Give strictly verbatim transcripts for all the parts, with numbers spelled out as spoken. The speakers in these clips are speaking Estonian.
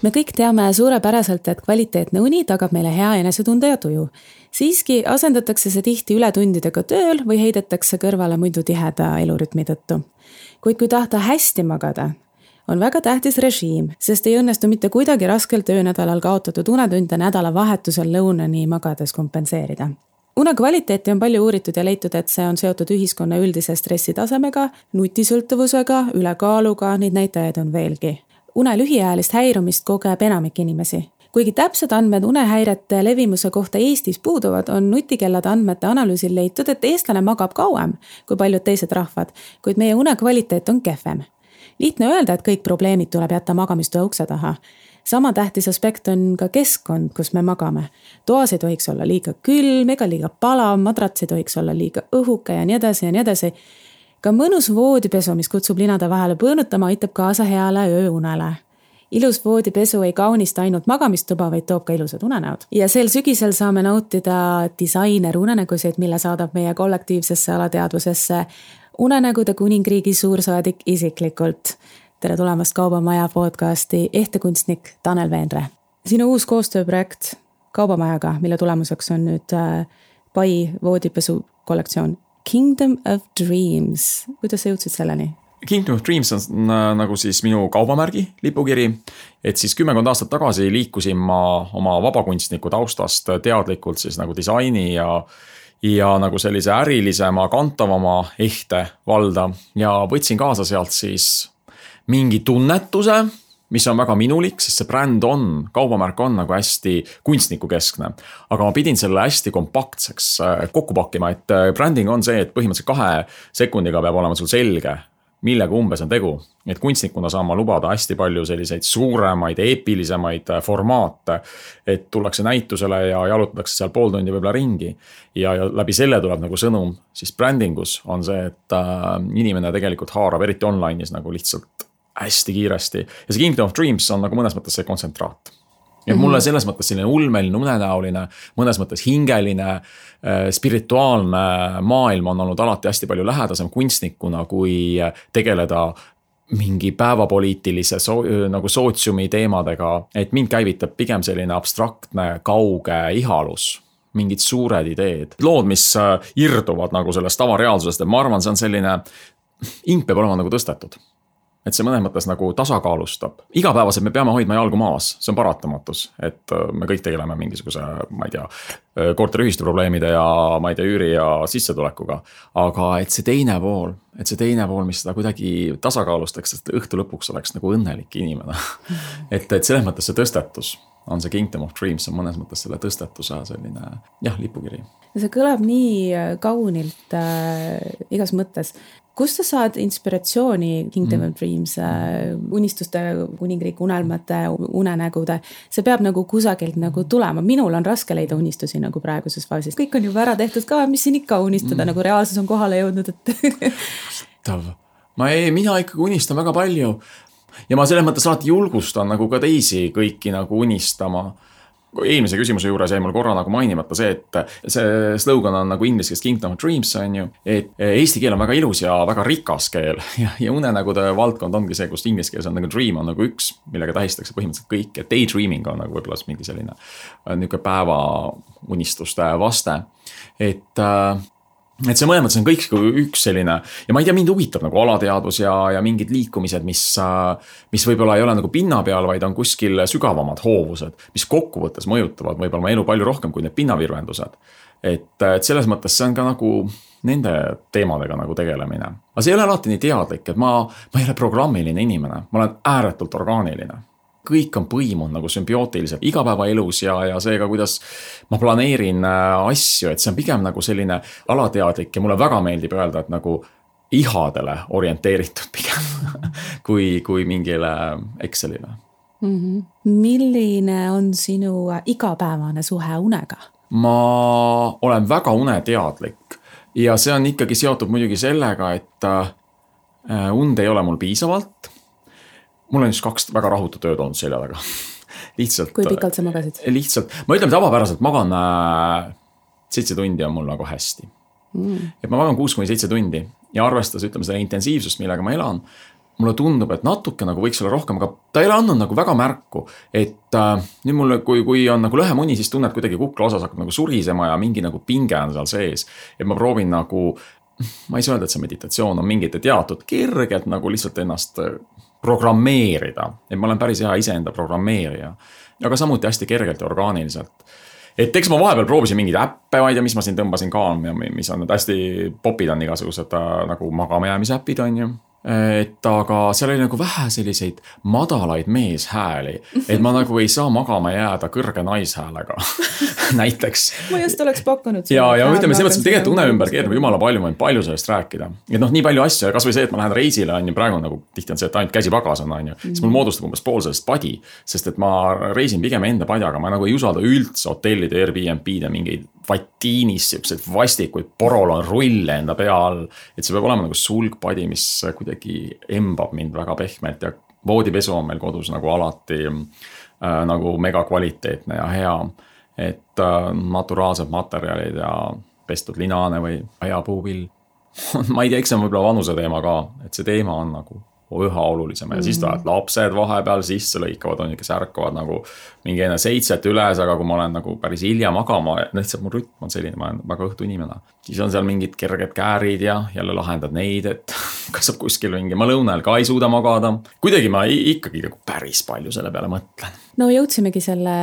Me kõik teame suurepäraselt, et kvaliteetne uni tagab meile hea enesetunde ja tuju. Siiski asendatakse see tihti ületundidega tööl või heidetakse kõrvale muidu tiheda elurütmi tõttu. Kuid kui tahta hästi magada, on väga tähtis režiim, sest ei õnnestu mitte kuidagi raskel töönädalal kaotatud unetunde nädala vahetusel lõunani magades kompenseerida. Une kvaliteeti on palju uuritud ja leitud, et see on seotud ühiskonna üldise stressitasemega, nutisõltuvusega, ülekaaluga, neid näitajaid on veelgi. Une lühiajalist häirumist kogeb enamik inimesi. Kuigi täpsed andmed unehäirete levimuse kohta Eestis puuduvad, on nutikellade andmete analüüsil leitud, et eestlane magab kauem kui paljud teised rahvad, kuid meie une kvaliteet on kehvem. Lihtne öelda, et kõik probleemid tuleb jätta magamistoa ukse taha. Sama tähtis aspekt on ka keskkond, kus me magame. Toas ei tohiks olla liiga külm ega liiga palav, madrats ei tohiks olla liiga õhuke ja nii edasi ja nii edasi. Ka mõnus voodipesu, mis kutsub linade vahele põõnutama, aitab kaasa heale ööunele. Ilus voodipesu ei kaunista ainult magamistuba, vaid toob ka ilusad unenäod. Ja sel sügisel saame nautida disainer unenägusid, mille saadab meie kollektiivsesse alateadvusesse unenägude kuningriigi suursaadik isiklikult. Tere tulemast Kaubamaja podcasti ehtekunstnik Tanel Veenre. Sinu uus koostööprojekt Kaubamajaga, mille tulemuseks on nüüd Pai voodipesu kollektsioon Kingdom of Dreams. Kuidas sa jõudsid selleni? Kingdom of Dreams on nagu siis minu kaubamärgi lipukiri, et siis kümmekond aastat tagasi liikusin ma oma vabakunstniku taustast teadlikult siis nagu disaini ja, ja nagu sellise ärilisema, kantavama ehte valda ja võtsin kaasa sealt siis mingi tunnetuse, mis on väga minulik, sest see bränd on, kaubamärk on nagu hästi kunstnikukeskne. Aga ma pidin selle hästi kompaktseks kokku pakkima, et bränding on see, et põhimõtteliselt kahe sekundiga peab olema sul selge, millega umbes on tegu. Et kunstnikuna saan ma lubada hästi palju selliseid suuremaid, eepilisemaid formaate, et tullakse näitusele ja jalutatakse seal pool tundi võib-olla ringi. Ja, ja läbi selle tuleb nagu sõnum, siis brändingus on see, et inimene tegelikult haarab eriti online'is nagu lihtsalt hästi kiiresti. Ja see Kingdom of Dreams on nagu mõnes mõttes see kontsentraat. Ja mm-hmm. mulle selles mõttes selline ulmeline, unenäoline, mõnes mõttes hingeline, spirituaalne maailm on olnud alati hästi palju lähedasem kunstnikuna, kui tegeleda mingi päevapoliitilise so, nagu sootsiumi teemadega. Et mind käivitab pigem selline abstraktne, kauge ihalus. Mingid suured ideed. Lood, mis irduvad nagu sellest tavareaalsusest, et ma arvan, see on selline, ing peab olema nagu tõstetud. Et see mõnes mõttes nagu tasakaalustab. Igapäevaselt me peame hoidma jalgu maas, see on paratamatus, et me kõik tegeleme mingisuguse, ma ei tea, korteriühistu probleemide ja ma ei tea, üüri ja sissetulekuga. Aga et see teine pool, et see teine pool, mis seda kuidagi tasakaalustaks, et õhtu lõpuks oleks nagu õnnelik inimene. et, et selles mõttes see tõstetus on see Kingdom of Dreams, on mõnes mõttes selle tõstetuse selline, jah, lipukiri. See kõlab nii kaunilt äh, igas mõttes. Kust sa saad inspiratsiooni Kingdom mm. of Dreams, äh, unistuste, kuningriik, unelmate, unenägude? See peab nagu kusagilt nagu tulema. Minul on raske leida unistusi nagu praeguses faasis. Kõik on juba ära tehtud ka, mis siin ikka unistada, mm. nagu reaalsus on kohale jõudnud. Et... ma ei, mina ikkagi unistan väga palju. Ja ma selles mõttes alati julgustan nagu ka teisi kõiki nagu unistama. Eelmise küsimuse juures jäi mul korra nagu mainimata see, et see slogan on nagu inglise keeles Kingdom of Dreams, on ju, et eesti keel on väga ilus ja väga rikas keel ja, ja unenägude valdkond ongi see, kus inglise keeles on nagu dream on nagu üks, millega tähistakse põhimõtteliselt kõik, et daydreaming on nagu võib-olla mingi selline niisugune päeva unistuste vaste, et et see mõlemad, see on kõik üks selline, ja ma ei tea, mind huvitab nagu alateadvus ja, ja mingid liikumised, mis, mis võib-olla ei ole nagu pinna peal, vaid on kuskil sügavamad hoovused, mis kokkuvõttes mõjutavad võib-olla oma elu palju rohkem kui need pinnavirvendused. Et, et selles mõttes see on ka nagu nende teemadega nagu tegelemine. Aga see ei ole alati nii teadlik, et ma, ma ei ole programmiline inimene, ma olen ääretult orgaaniline. Kõik on põimunud nagu symbiootiliselt igapäevaelus ja, ja seega, kuidas ma planeerin asju, et see on pigem nagu selline alateadlik ja mulle väga meeldib öelda, et nagu ihadele orienteeritud pigem kui, kui mingile Excelile. Mm-hmm. Milline on sinu igapäevane suhe unega? Ma olen väga uneteadlik ja see on ikkagi seotud muidugi sellega, et und ei ole mul piisavalt. Mul on just kaks väga rahutu tööd olnud selja taga. Lihtsalt, kui pikalt sa magasid? Lihtsalt, ma ütlen tavapäraselt magan seitse tundi on mul nagu hästi. Mm. Et ma magan kuus kuni seitse tundi ja arvestas, ütleme seda intensiivsust, millega ma elan, mulle tundub, et natuke nagu võiks olla rohkem, aga ta ei ole andnud nagu väga märku, et äh, nüüd mulle, kui, kui on nagu lõhemuni, siis tunned kuidagi kukla osas hakkab nagu surisema ja mingi nagu pinge on seal sees. Et ma proovin nagu, ma ei saa öelda, et see meditatsioon on mingite teatud kergelt nagu lihtsalt ennast programmeerida. Et ma olen päris hea iseenda programmeerija, aga samuti hästi kergelt ja orgaaniliselt. Et eks ma vahepeal proovisin mingeid äppe, vaid ja mis ma siin tõmbasin ka, mis on hästi popid on igasugused nagu magamajäämise äpid on ju. Et aga seal oli nagu vähe selliseid madalaid meeshääli, et ma nagu ei saa magama jääda kõrge naishäälega näiteks. Ma just oleks pakkunud. Ja, ja ütleme, see mõttes, et tegelikult une ümber keerab jumala palju, ma võin palju sellest rääkida. Et noh, nii palju asju, kas või see, et ma lähen reisile, on ju praegu nagu tihti on see, et ainult käsi pagas on, on ju. Siis mul moodustab umbes pool sellest padi, sest et ma reisin pigem enda padjaga, ma nagu ei usalda üldse hotellide, Airbnb-de mingeid vatiinis, siuksed vastikuid porol on rulle enda pea all, et see peab olema nagu sulgpadi, mis kuidagi embab mind väga pehmelt ja voodipesu on meil kodus nagu alati äh, nagu mega kvaliteetne ja hea, et äh, naturaalsed materjalid ja pestud linane või hea puuvill. Ma ei tea, eks see on võib-olla vanuse teema ka, et see teema on nagu üha olulisem ja siis tulevad lapsed vahepeal sisse lõikavad, on ju, kes ärkavad nagu mingi enne seitset üles, aga kui ma olen nagu päris hilja magama, lihtsalt mu rütm on selline, ma olen väga õhtu inimene. Siis on seal mingid kerged käärid ja jälle lahendad neid, et kas saab kuskil mingi, ma lõunal ka ei suuda magada. Kuidagi ma ikkagi nagu päris palju selle peale mõtlen. No jõudsimegi selle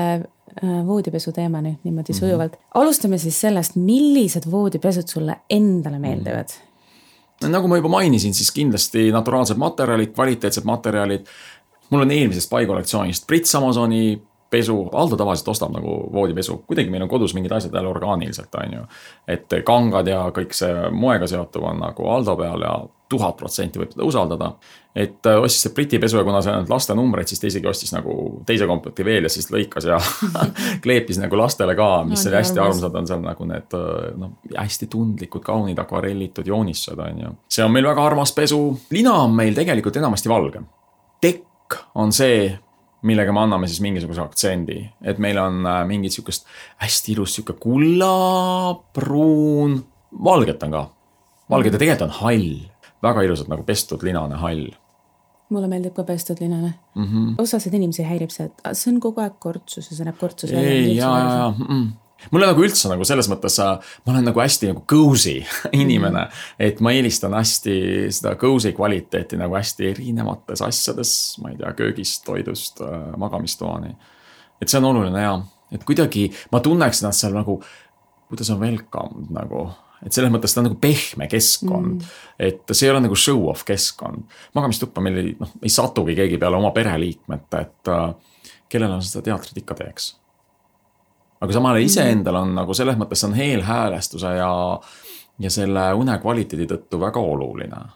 voodipesu teemani niimoodi sujuvalt. Alustame siis sellest, millised voodipesud sulle endale meeldivad? Nagu ma juba mainisin, siis kindlasti naturaalsed materjalid, kvaliteetsed materjalid. Mul on eelmisest paikollektsioonist Brits Amazoni pesu. Aldo tavaliselt ostab nagu voodipesu. Kuidagi meil on kodus mingid asjad jälle orgaaniliselt, on ju. Et kangad ja kõik see moega seotuv on nagu Aldo peal ja tuhat protsenti võib teda usaldada. Et ostis see Briti pesu ja kuna see on laste numbreid, siis ta isegi ostis nagu teise komplekti veel ja siis lõikas ja kleepis nagu lastele ka, mis oli hästi armsad on seal nagu need no, hästi tundlikud, kaunid, akvarellitud joonistused on ju. See on meil väga armas pesu. Lina on meil tegelikult enamasti valge. Tekk on see, millega me anname siis mingisuguse aktsendi. Et meil on mingid sükest hästi ilus süke kulla, pruun, valget on ka. Valget ja tegelikult on hall. Väga ilusad nagu pestud linane hall. Mulle meeldib ka pestud linane. Mm -hmm. Osasid inimesi häirib see, et see on kogu aeg kortsus ja see näeb kortsus. Ei, jaa, jaa, jaa. Mulle nagu üldse nagu selles mõttes, ma olen nagu hästi nagu cozy inimene, mm -hmm. et ma eelistan hästi seda cozy kvaliteeti nagu hästi erinevates asjades, ma ei tea, köögist, toidust, magamistoani. Et see on oluline ja, et kuidagi ma tunneks nad seal nagu, kuidas on welcome nagu, et selles mõttes ta on nagu pehme keskkond, mm. et see ei ole nagu show-off keskkond. Magamistuppa meil ei, noh, ei satugi keegi peale oma pereliikmete, et uh, kellel on seda teatrit ikka teeks. Aga samale iseendal on nagu selles mõttes on heelhäälestuse ja, ja selle une kvaliteedi tõttu väga oluline.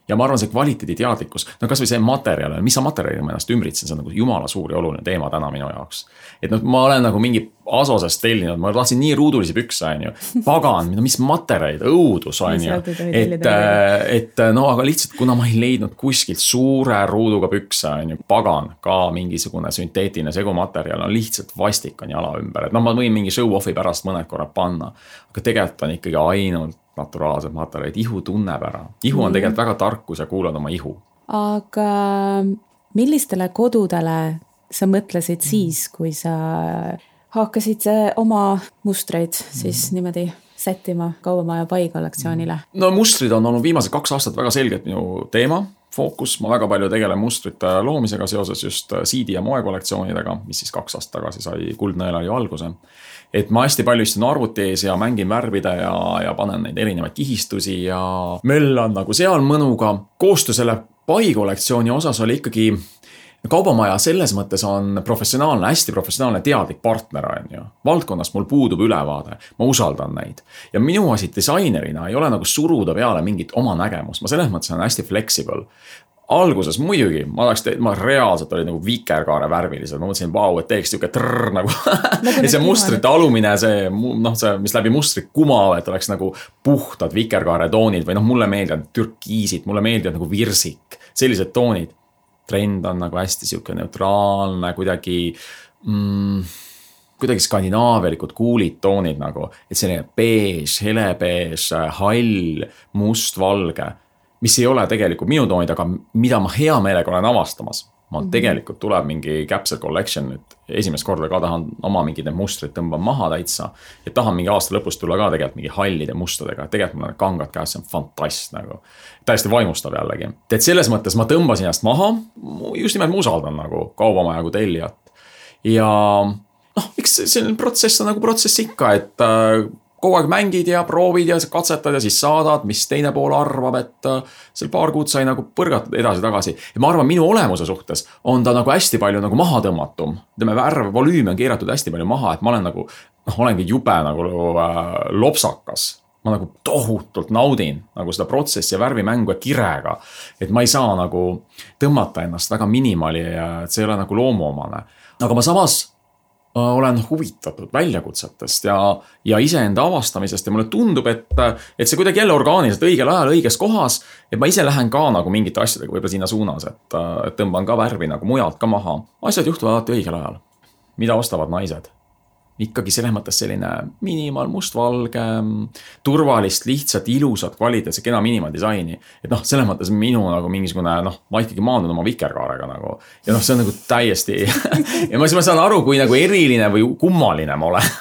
Ja ma arvan, see kvaliteedi teadlikkus, no kas või see materjal, mis sa materjali ma ennast ümbritsen, see on nagu jumala suur ja oluline teema täna minu jaoks. Et no, ma olen nagu mingi Asosest tellinud, ma tahtsin nii ruudulisi pükse, on ju. Pagan, mis materjalid, õudus, on ju. Et, et no, aga lihtsalt, kuna ma ei leidnud kuskilt suure ruuduga pükse, on ju, pagan, ka mingisugune sünteetiline segumaterjal on lihtsalt vastik on jala ümber. Et no, ma võin mingi show-offi pärast mõned korrad panna, aga tegelikult on ikkagi ainult naturaalsed materjalid, ihu tunneb ära. Ihu on tegelikult väga tarkus ja kuulad oma ihu. Aga millistele kodudele sa mõtlesid siis, kui sa hakkasid oma mustreid siis niimoodi sättima Kaubamaja pai kollektsioonile? No mustrid on olnud viimased kaks aastat väga selgelt minu teema, fookus. Ma väga palju tegelen mustrite loomisega seoses just siidi ja moe kollektsioonidega, mis siis kaks aastat tagasi sai Kuldnõelari alguse. Et ma hästi palju istun arvuti ees ja mängin värvida ja, ja panen neid erinevaid kihistusi ja möllan nagu seal mõnuga. Koostöö selle pai kollektsiooni osas oli ikkagi Kaubamaja selles mõttes on professionaalne, hästi professionaalne teadlik partner on ju. Valdkonnast mul puudub ülevaade, ma usaldan neid. Ja minu asi disainerina ei ole nagu suruda peale mingit oma nägemust, ma selles mõttes on hästi flexible. Alguses muidugi, ma, oleks te, ma reaalselt oli nagu vikerkaare värvilised, ma mõtlesin, vau, et teeks tüke trrr nagu. ja see mustrite alumine, see, noh, see, mis läbi mustrit kumav, et oleks nagu puhtad vikerkaare toonid või noh, mulle meeldivad türkiisid, mulle meeldivad nagu virsik, sellised toonid. Trend on nagu hästi siuke neutraalne, kuidagi, mm, kuidagi skandinaavialikud kuulid toonid nagu, et selline beež, helebeež, hall, must, valge. mis ei ole tegelikult minu toonid, aga mida ma hea meelega olen avastamas. Ma mm-hmm. tegelikult tuleb mingi Capsule Collection nüüd esimest korda ka tahan oma mingid need mustrid tõmban maha täitsa. Ja tahan mingi aasta lõpus tulla ka tegelikult mingi hallide mustadega. Tegelikult mul on kangad käes, see on fantast nagu. Täiesti vaimustab jällegi. Et selles mõttes ma tõmbasin ennast maha. Just nimelt ma usaldan nagu kaubamaja kui tellijat. Ja noh, miks selline protsess on nagu protsess ikka, et äh, kogu aeg mängid ja proovid ja katsetad ja siis saadad, mis teine pool arvab, et seal paar kuud sai nagu põrgatud edasi tagasi. Ja ma arvan, minu olemuse suhtes on ta nagu hästi palju nagu maha tõmmatum. Tema värv, volüümi on keeratud hästi palju maha, et ma olen nagu, noh, olengi jube nagu äh, lopsakas. Ma nagu tohutult naudin nagu seda protsessi ja värvimängu ja kirega. Et ma ei saa nagu tõmmata ennast väga minimali ja et see ei ole nagu loomuomane. Aga ma samas olen huvitatud väljakutsetest ja, ja iseenda avastamisest ja mulle tundub, et, et see kuidagi jälle orgaaniliselt õigel ajal õiges kohas, et ma ise lähen ka nagu mingite asjadega võib-olla sinna suunas, et, et tõmban ka värvi nagu mujalt ka maha. Asjad juhtuvad alati õigel ajal. Mida ostavad naised? Ikkagi selles mõttes selline minimal, mustvalge, turvalist, lihtsalt, ilusat, kvaliteetse, kena minimal disaini. Et noh, selles mõttes minu nagu mingisugune, noh, ma ikkagi maandun oma vikerkaarega nagu. Ja noh, see on nagu täiesti ja ma, ma saan aru, kui nagu eriline või kummaline ma olen.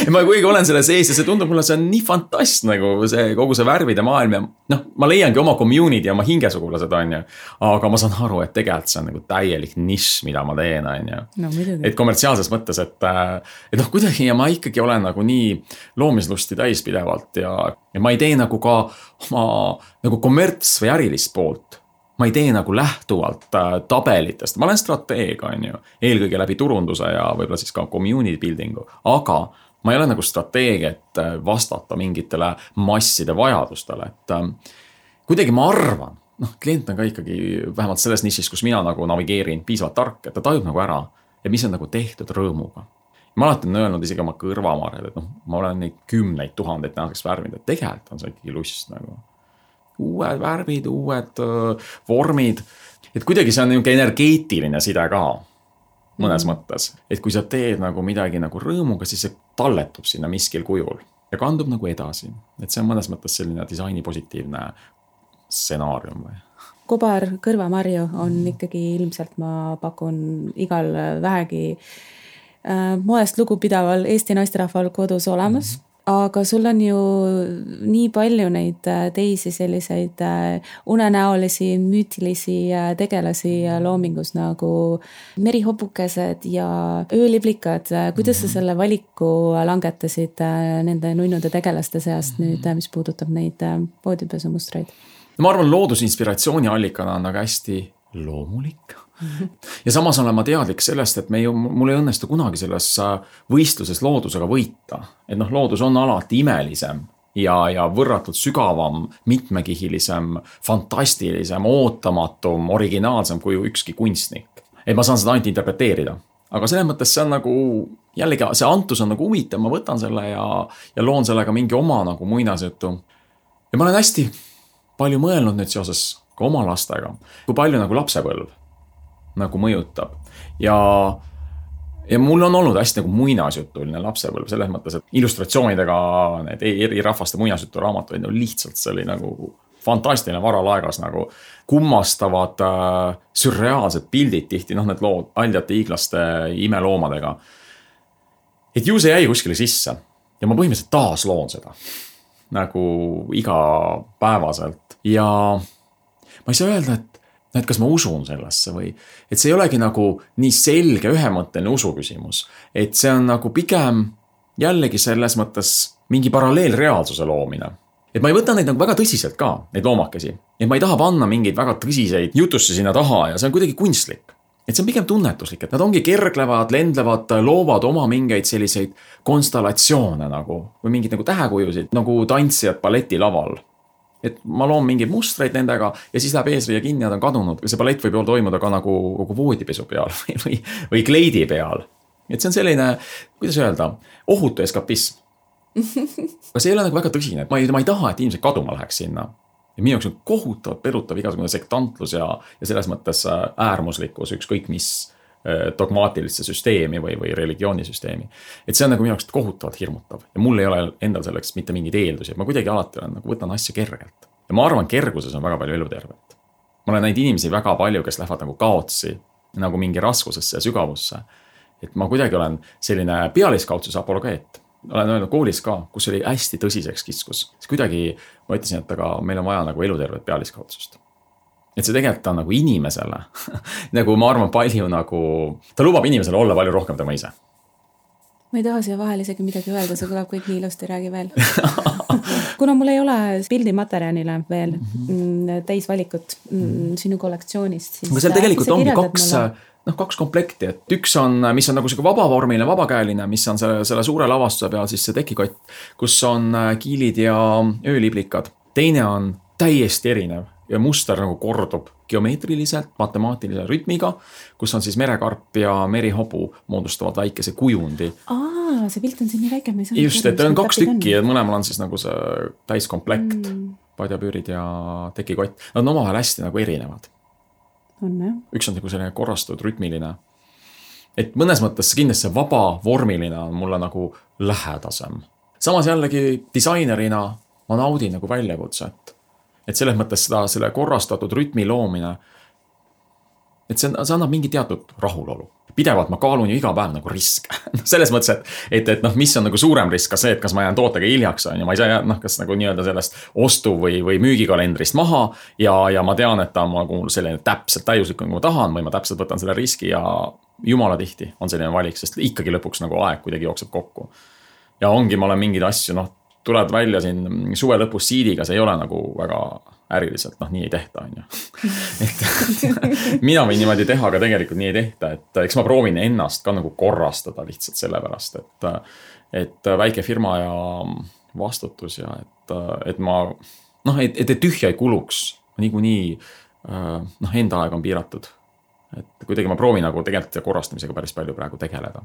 ja ma kuigi olen selle sees ja see tundub mulle, see on nii fantast nagu see, kogu see värvide maailm ja noh, ma leiangi oma community ja oma hingesugulased on ju. Aga ma saan aru, et tegelikult see on nagu täielik nišš, mida ma teen on ju. No, et komertsiaalses mõttes, et, et noh, kuidagi ja ma ikkagi olen nagu nii loomislusti täis pidevalt ja, ja ma ei tee nagu ka oma nagu kommerts või ärilist poolt. Ma ei tee nagu lähtuvalt äh, tabelitest. Ma olen strateeg, on ju, eelkõige läbi turunduse ja võib-olla siis ka community buildingu, aga ma ei ole nagu strateeg, et vastata mingitele masside vajadustele, et äh, kuidagi ma arvan, noh, klient on ka ikkagi vähemalt selles nišis, kus mina nagu navigeerin piisavalt tark, et ta tajub nagu ära, et mis on nagu tehtud rõõmuga. Ma alati on öelnud isegi oma kõrvamarjad, et noh, ma olen neid kümneid tuhandeid tänaseks värvinud, et tegelikult on see ikkagi lust nagu. Uued värvid, uued uh, vormid. Et kuidagi see on niisugune energeetiline side ka mõnes mm. mõttes. Et kui sa teed nagu midagi nagu rõõmuga, siis see talletub sinna miskil kujul ja kandub nagu edasi. Et see on mõnes mõttes selline disaini positiivne stsenaarium või? Kobar kõrvamarju on ikkagi ilmselt, ma pakun igal vähegi moest lugupidaval Eesti naisterahval kodus olemas, mm-hmm. aga sul on ju nii palju neid teisi selliseid unenäolisi, müütilisi tegelasi loomingus nagu merihobukesed ja ööliblikad. Kuidas mm-hmm. sa selle valiku langetasid nende nunnude tegelaste seast nüüd, mis puudutab neid voodipesumustreid? Ma arvan, loodusinspiratsiooni allikana on aga hästi loomulik. Ja samas olen ma teadlik sellest, et me ju, mul ei õnnestu kunagi selles võistluses loodusega võita. Et noh, loodus on alati imelisem ja, ja võrratult sügavam, mitmekihilisem, fantastilisem, ootamatum, originaalsem kui ükski kunstnik. Et ma saan seda ainult interpreteerida. Aga selles mõttes see on nagu, jällegi see antus on nagu huvitav, ma võtan selle ja, ja loon sellega mingi oma nagu muinasjutu. Ja ma olen hästi palju mõelnud nüüd seoses ka oma lastega, kui palju nagu lapsepõlv nagu mõjutab. Ja, ja mul on olnud hästi nagu muinasjutuline lapsepõlv selles mõttes, et illustratsioonidega need eri rahvaste muinasjutu raamatud no lihtsalt see oli nagu fantastiline varalaegas nagu kummastavad äh, sürreaalsed pildid tihti, noh need lood aldjate hiiglaste imeloomadega. Et ju see jäi kuskile sisse ja ma põhimõtteliselt taas loon seda nagu igapäevaselt ja ma ei saa öelda, et et kas ma usun sellesse või, et see ei olegi nagu nii selge ühemõtteline usu küsimus, et see on nagu pigem jällegi selles mõttes mingi paralleelreaalsuse loomine. Et ma ei võta neid nagu väga tõsiselt ka, neid loomakesi, et ma ei taha panna mingeid väga tõsiseid jutusse sinna taha ja see on kuidagi kunstlik. Et see on pigem tunnetuslik, et nad ongi kerglevad, lendlevad, loovad oma mingeid selliseid konstellatsioone nagu, või mingid nagu tähekujusid, nagu tantsijad balletilaval. Et ma loon mingeid mustreid nendega ja siis läheb eesriia kinni ja nad on kadunud. See ballett võib toimuda ka nagu kogu voodipesu peal või, või, või kleidi peal. Et see on selline, kuidas öelda, ohutu eskapism. Aga see ei ole nagu väga tõsine. Ma ei, ma ei taha, et inimesed kaduma läheks sinna. Ja minu jaoks on kohutav, perutav igasugune sektantlus ja, ja selles mõttes äärmuslikkus, ükskõik mis dogmaatilisse süsteemi või, või religioonisüsteemi. Et see on nagu minu jaoks kohutavalt hirmutav. Ja mul ei ole endal selleks mitte mingid eeldusi. Ma kuidagi alati olen, nagu võtan asja kergelt. ja ma arvan, kerguses on väga palju elutervet. Ma olen näinud inimesi väga palju, kes lähevad nagu kaotsi, nagu mingi raskusesse ja sügavusse. Et ma kuidagi olen selline pealiskaudsuse apologeet. Olen öelnud koolis ka, kus oli hästi tõsiseks kiskus. See kuidagi, ma ütlesin, et aga meil on vaja nagu elutervet pealiskaudsust. Et see tegelikult on nagu inimesele, nagu ma arvan palju nagu, ta lubab inimesele olla palju rohkem tema ise. Ma ei taha siia vahel isegi midagi öelda, see kõlab kõik nii ilusti, räägi veel. Kuna mul ei ole pildimaterjalile veel mm-hmm. täis valikut mm, sinu kollektsioonist. Aga seal tegelikult ongi kaks, noh, kaks komplekti, et üks on, mis on nagu see vabavormiline, vabakäeline, mis on selle, selle suure lavastuse peal siis see tekikott, kus on kiilid ja ööliblikad. Teine on täiesti erinev ja muster nagu kordub geomeetriliselt, matemaatilise rütmiga, kus on siis merekarp ja merihobu moodustavad väikese kujundi. Aa, see pilt on siin nii väike. Just, et on kaks tükki ja mõlemal on siis nagu see täiskomplekt, mm. padjapüürid ja tekikott. Nad on omavahel hästi nagu erinevad. On, jah. Üks on nagu selline korrastatud rütmiline. Et mõnes mõttes kindlasti see vaba vormiline on mulle nagu lähedasem. Samas jällegi disainerina ma naudin nagu väljakutset. Et selles mõttes seda selle korrastatud rütmi loomine, et see, see annab mingi teatud rahulolu. Pidevalt ma kaalun ju iga päev nagu risk. Selles mõttes, et, et, et noh, mis on nagu suurem risk ka see, et kas ma jään tootega hiljaks on ja ma ei saa noh, kas nagu nii-öelda sellest ostu või, või müügikalendrist maha ja, ja ma tean, et ta on nagu selline täpselt täiuslik, kui ma tahan või ma täpselt võtan selle riski ja jumala tihti on selline valik, sest ikkagi lõpuks nagu aeg kuidagi jookseb kokku. Ja ongi, ma olen mingeid asju, noh, tuled välja siin suve lõpus siidiga, see ei ole nagu väga äriliselt, noh, nii ei tehta, on ju. Et mina võin niimoodi teha, aga tegelikult nii ei tehta, et eks ma proovin ennast ka nagu korrastada lihtsalt sellepärast, et, et väike firma ja vastutus ja et, et ma, noh, et, et tühja ei kuluks, niikuinii, noh, enda aeg on piiratud. Et kuidagi ma proovin nagu tegelikult korrastamisega päris palju praegu tegeleda.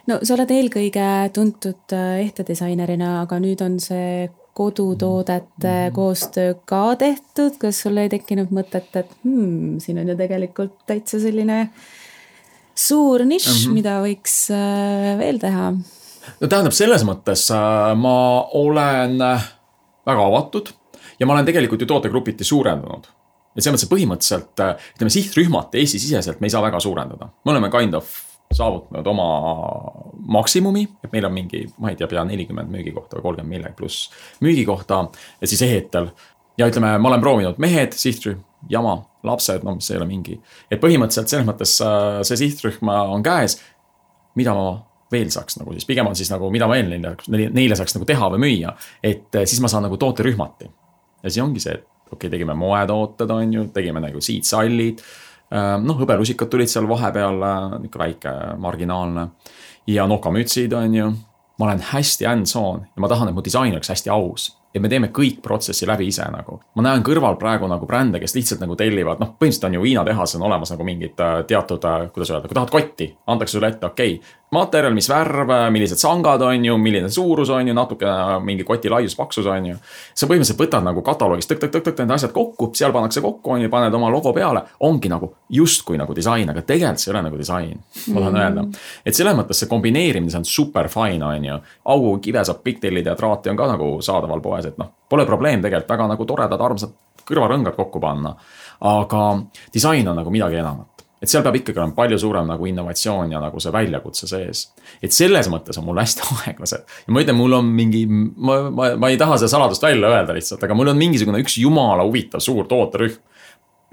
No sa oled eelkõige tuntud ehtedisainerina, aga nüüd on see kodutoodete koostöö ka tehtud. Kas sul ei tekkinud mõtet, et hmm, siin on ju tegelikult täitsa selline suur nišš, mm-hmm. mida võiks veel teha? No tähendab, selles mõttes ma olen väga avatud ja ma olen tegelikult ju tootegrupiti suurendanud. Et see mõttes põhimõtteliselt, ütleme, sihtrühmad Eesti siseselt me ei saa väga suurendada. Me oleme kind of saavutanud oma maksimumi, et meil on mingi, ma ei tea, pea nelikümmend müügikohta või kolmkümmend millegi pluss müügikohta ja siis ehetel. Ja ütleme, ma olen proovinud mehed, sihtrühm, jama, lapsed, no mis ei ole mingi. Et põhimõtteliselt selles mõttes see sihtrühm on käes, mida ma veel saaks nagu siis, pigem on siis nagu, mida ma veel neile, neile saaks nagu teha või müüa, et siis ma saan nagu tooterühmati. Ja siis ongi see, et okei, tegime moetooted, on ju, tegime nagu siidsallid, noh, hõbelusikad tulid seal vahepeal, niisugune väike marginaalne ja nokamütsid, on ju. Ma olen hästi hands-on ja ma tahan, et mu disain oleks hästi aus. Ja me teeme kõik protsessi läbi ise nagu. Ma näen kõrval praegu nagu brände, kes lihtsalt nagu tellivad, noh, põhimõtteliselt on ju Viina tehas on olemas nagu mingid teatud, kuidas öelda, kui tahad kotti, antakse sulle ette, okei, materjal, mis värv, millised sangad on ju, milline suurus on ju, natuke mingi koti laius, paksus on ju. Sa põhimõtteliselt võtad nagu kataloogist tõk, tõk, tõk, tõk, tõk, asjad kokku, seal pannakse kokku, on ju, paned oma logo peale, ongi nagu justkui nagu disain, aga tegelikult see ei ole nagu disain, ma tahan öelda. Et selles mõttes see kombineerimine on super fine, on ju. Augu kive saab pigtellid ja traati on ka nagu saadaval poes, et noh, pole probleem tegelikult väga nagu toredad, armsad kõrvarõngad kokku panna, aga disain on nagu midagi enamat. Et seal peab ikkagi olema palju suurem nagu innovatsioon ja nagu see väljakutse sees. Et selles mõttes on mul hästi aeglased. Ja ma ütlen, mul on mingi, ma, ma, ma ei taha seda saladust välja öelda lihtsalt, aga mul on mingisugune üks jumala huvitav suur tooterühm.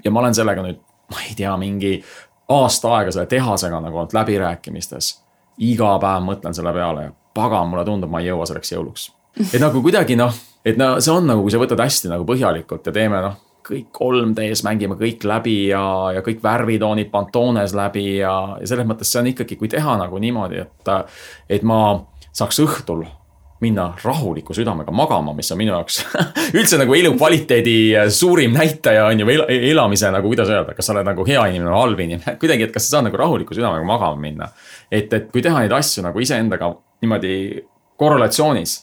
Ja ma olen sellega nüüd, ma ei tea, mingi aasta aega selle tehasega nagu olnud läbirääkimistes. Iga päev mõtlen selle peale ja pagan, mulle tundub, ma ei jõua selleks jõuluks. Et nagu kuidagi noh, et no, see on nagu, kui sa võtad hästi nagu põhjalikult ja teeme noh, kõik kolm D-s mängime kõik läbi ja, ja kõik värvitoonid Pantones läbi ja, ja selles mõttes see on ikkagi, kui teha nagu niimoodi, et, et ma saaks õhtul minna rahuliku südamega magama, mis on minu jaoks üldse nagu elu kvaliteedi suurim näitaja on ju el, elamise nagu, kuidas öelda, kas sa oled nagu hea inimene või halb inimene, kuidagi, et kas sa saad nagu rahuliku südamega magama minna. Et, et kui teha neid asju nagu iseendaga niimoodi korrelatsioonis,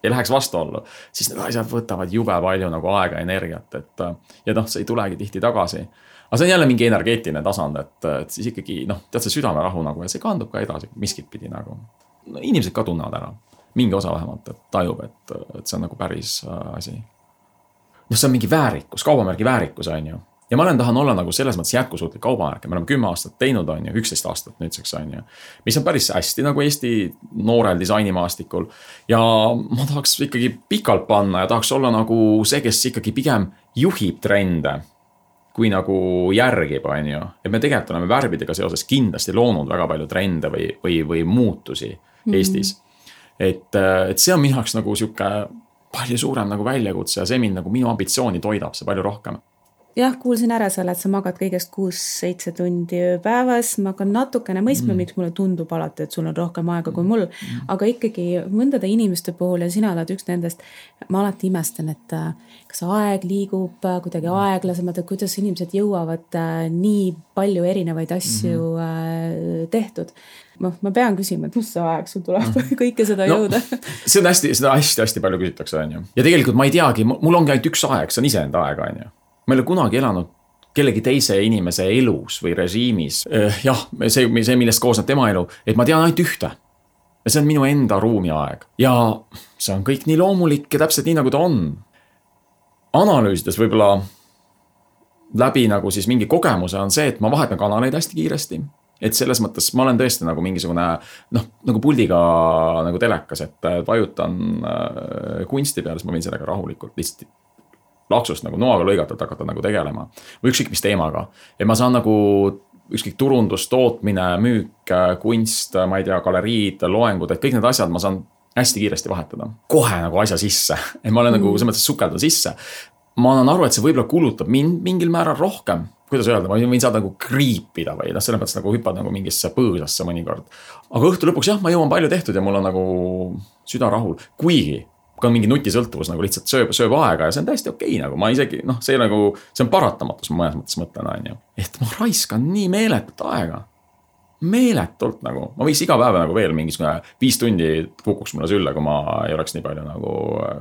ei läheks vastuollu, siis need asjad võtavad jube palju nagu aega ja energiat, et ja noh, see ei tulegi tihti tagasi. Aga see on jälle mingi energeetiline tasand, et, et siis ikkagi, noh, tead see südamerahu nagu ja see kandub ka edasi miskit pidi nagu. No, inimesed ka tunnevad ära, mingi osa vähemalt, et tajub, et, et see on nagu päris asi. noh, see on mingi väärikus, kaubamärgi väärikus on ju. Ja ma olen tahan olla nagu selles mõttes jätkusuutlik kaubamärk. Me oleme kümme aastat teinud on ju, üksteist aastat nüüdseks on ju. Mis on päris hästi nagu Eesti noorel disainimaastikul. Ja ma tahaks ikkagi pikalt panna ja tahaks olla nagu see, kes ikkagi pigem juhib trende, kui nagu järgib on ju. Et me tegelikult oleme värvidega seoses kindlasti loonud väga palju trende või, või, või muutusi mm-hmm. Eestis. Et, et see on minu jaoks nagu siuke palju suurem nagu väljakutse ja see mind nagu minu ambitsiooni toidab see palju rohkem. Jah, kuulsin ära selle, et sa magad kõigest kuus seitse tundi päevas. Ma hakkan natukene mõistma, mm. miks mulle tundub alati, et sul on rohkem aega kui mul. Mm. Aga ikkagi mõndade inimeste puhul ja sina oled üks nendest, ma alati imestan, et kas aeg liigub kuidagi aeglasemalt, et kuidas inimesed jõuavad nii palju erinevaid asju mm-hmm. tehtud. Ma, ma pean küsima, et mis see aeg sul tuleb mm. kõike seda no, jõuda? See on hästi, seda hästi-hästi palju küsitakse, on ju. Ja tegelikult ma ei teagi, mul ongi ainult üks aeg, see on iseenda aeg, on ju. Ma ei ole kunagi elanud kellegi teise inimese elus või režiimis. Jah, see, see, millest koosneb tema elu, et ma tean ainult ühte. Ja see on minu enda ruumiaeg. Ja see on kõik nii loomulik ja täpselt nii, nagu ta on. Analüüsides võib-olla läbi nagu siis mingi kogemuse on see, et ma vahetan kanaleid hästi kiiresti. Et selles mõttes ma olen tõesti nagu mingisugune, noh, nagu puldiga nagu telekas, et vajutan kunsti peale, siis ma võin sellega rahulikult lihtsalt laksust nagu noaga lõigatult hakata nagu tegelema. Või ükskõik mis teemaga. Ja ma saan nagu ükskõik turundus, tootmine, müük, kunst, ma ei tea, galeriid, loengud, et kõik need asjad ma saan hästi kiiresti vahetada. Kohe nagu asja sisse. Et ma olen mm. nagu selles mõttes sukelda sisse. Ma annan aru, et see võib-olla kulutab mind mingil määral rohkem. Kuidas öelda, ma võin saada nagu kriipida või selles mõttes nagu hüppad nagu mingisse põõsasse mõnikord. Aga õhtu lõpuks jah, ma jõuan palju tehtud ja mul on nagu süda rahul. Kuigi ka on mingi nutisõltuvus nagu lihtsalt sööb, sööb aega ja see on täiesti okei okay, nagu ma isegi, noh, see nagu, see on paratamatus, ma mõnes mõttes mõtlen, on ju. Et ma raiskan nii meeletut aega. Meeletult nagu, ma võiks iga päev nagu veel mingis viis tundi kukuks mulle sülle, kui ma ei oleks nii palju nagu